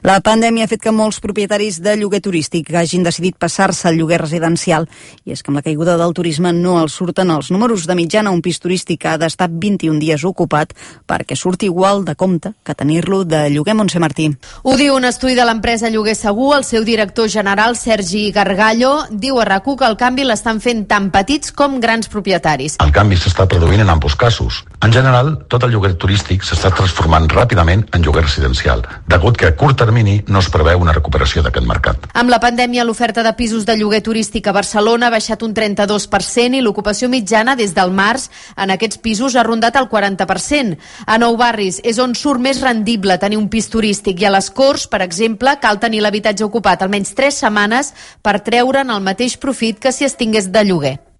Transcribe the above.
La pandèmia ha fet que molts propietaris de lloguer turístic hagin decidit passar-se al lloguer residencial. I és que amb la caiguda del turisme no els surten els números. De mitjana, un pis turístic ha d'estar 21 dies ocupat perquè surti igual de compte que tenir-lo de lloguer. Montse Martí. Ho diu un estudi de l'empresa Lloguer Segur. El seu director general, Sergi Gargallo, diu a RAC1 que el canvi l'estan fent tant petits com grans propietaris. El canvi s'està produint en ambos casos. En general, tot el lloguer turístic s'està transformant ràpidament en lloguer residencial, degut que a curt termini no es preveu una recuperació d'aquest mercat. Amb la pandèmia, l'oferta de pisos de lloguer turístic a Barcelona ha baixat un 32% i l'ocupació mitjana des del març en aquests pisos ha rondat el 40%. A Nou Barris és on surt més rendible tenir un pis turístic i a les Corts, per exemple, cal tenir l'habitatge ocupat almenys 3 setmanes per treure'n el mateix profit que si es tingués de lloguer.